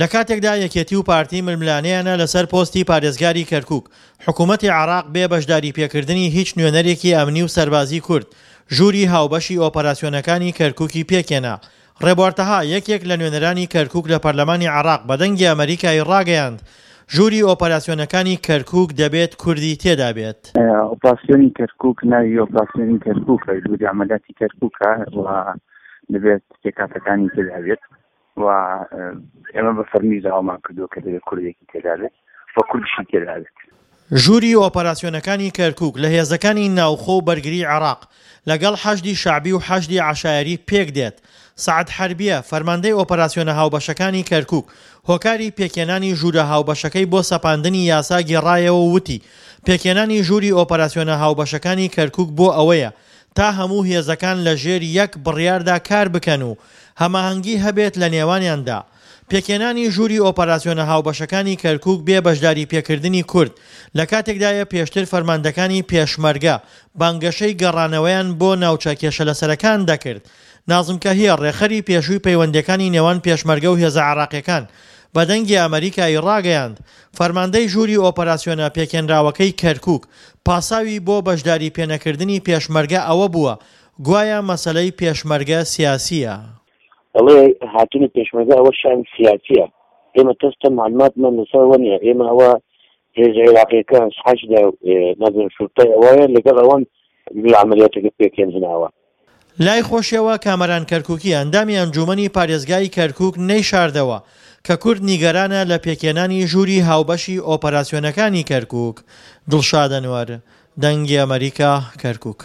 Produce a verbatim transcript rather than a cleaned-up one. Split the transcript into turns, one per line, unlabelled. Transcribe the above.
لە کاتێکدا یەکێتی و پارتی ململانێیانە لەسەر پۆستی پارێزگاری کەرکوک، حکومەتی عێراق بێ بەشداریپێکردنی هیچ نوێنەرێکی ئەمنی و سەربازی کورد، ژووری هاوبەشی ئۆپەراسیۆنەکانی کەرکوکی پێکهێنا. ڕێبوار تەها، یەکێک لە نوێنەرانی کەرکوک لە پەرلەمانی عێراق بە دەنگی ئەمەریکای ڕاگەیاند، ژووری ئۆپەراسیۆنەکانی کەرکوک دەبێت کوردی تێدا بێت.
ئۆپراسیۆنی کەرکوک ناوی ئۆپراسیۆنی کەرکوکە، ژووری عەمەلیاتی کەرکوکە و دەبێت پێکهاتەکانی تێدا بێت و ئێمە بە فەرمی داوامان کردووە کە دەبێت کوردێکی تێدا بێت و کوردیشی تێدا بێت.
ژووری ئۆپەراسیۆنەکانی کەرکوک لە هێزەکانی ناوخۆ و بەرگری عێراق لەگەڵ حەشدی شەعبی و حەشدی عەشایەری پێکدێت. سەعد حەربیە، فەرماندەی ئۆپەراسیۆنە هاوبەشەکانی کەرکوک، هۆکاری پێکهێنانی ژوورە هاوبەشەکەی بۆ سەپاندنی یاسا گێڕایەوە و وتی، پێکهێنانی ژووری ئۆپەراسیۆنە هاوبەشەکانی کەرکوک بۆ ئەوەیە تا هەموو هێزەکان لە ژێر یەک بڕیاردا کار بکەن و هەماهەنگی هەبێت لە نێوانیاندا. پێکهێنانی ژووری ئۆپەراسیۆنە هاوبەشەکانی کەرکوک بێ بەشداری پێکردنی کورد لە کاتێکدایە پێشتر فەرماندەکانی پێشمەرگە بانگەشەی گەڕانەوەیان بۆ ناوچە کێشەلەسەرەکان دەکرد. نازم کەهیە، ڕێکخەری پێشووی پەیوەندییەکانی نێوان پێشمەرگە و هێزە عێراقییەکان بە دەنگی ئەمەریکای ڕاگەیاند، فەرماندەی ژووری ئۆپەراسیۆنە پێکهێنراوەکەی کەرکوک پاساوی بۆ بەشداری پێنەکردنی پێشمەرگە ئەوە بووە گوایا مەسەلەی پێشمەرگە سیاسییە.
ئەڵێ هاتنی پێشمەرگە ئەوە شانی سیاسیە، ئێمە تەستە معلوماتمان لەسەر ئەوە نییە، ئێمە ئەوە هێزە عێراقیەکان حەشدە نازم شورتەی ئەوەیە لەگەڵ ئەوەن عەمەلیاتەکە پێکهێنراوە.
لای خۆشیەوە کامەران کەرکوکی ئەندامی ئەنجومەنی پارێزگای کەرکوک نەیشاردەوە کە کورد نیگەرانە لە پێکهێنانی ژووری هاوبەشی ئۆپەراسیۆنەکانی کەرکوک. دڵشاد ئەنوەر، دەنگی ئەمەریکا، کەرکوک.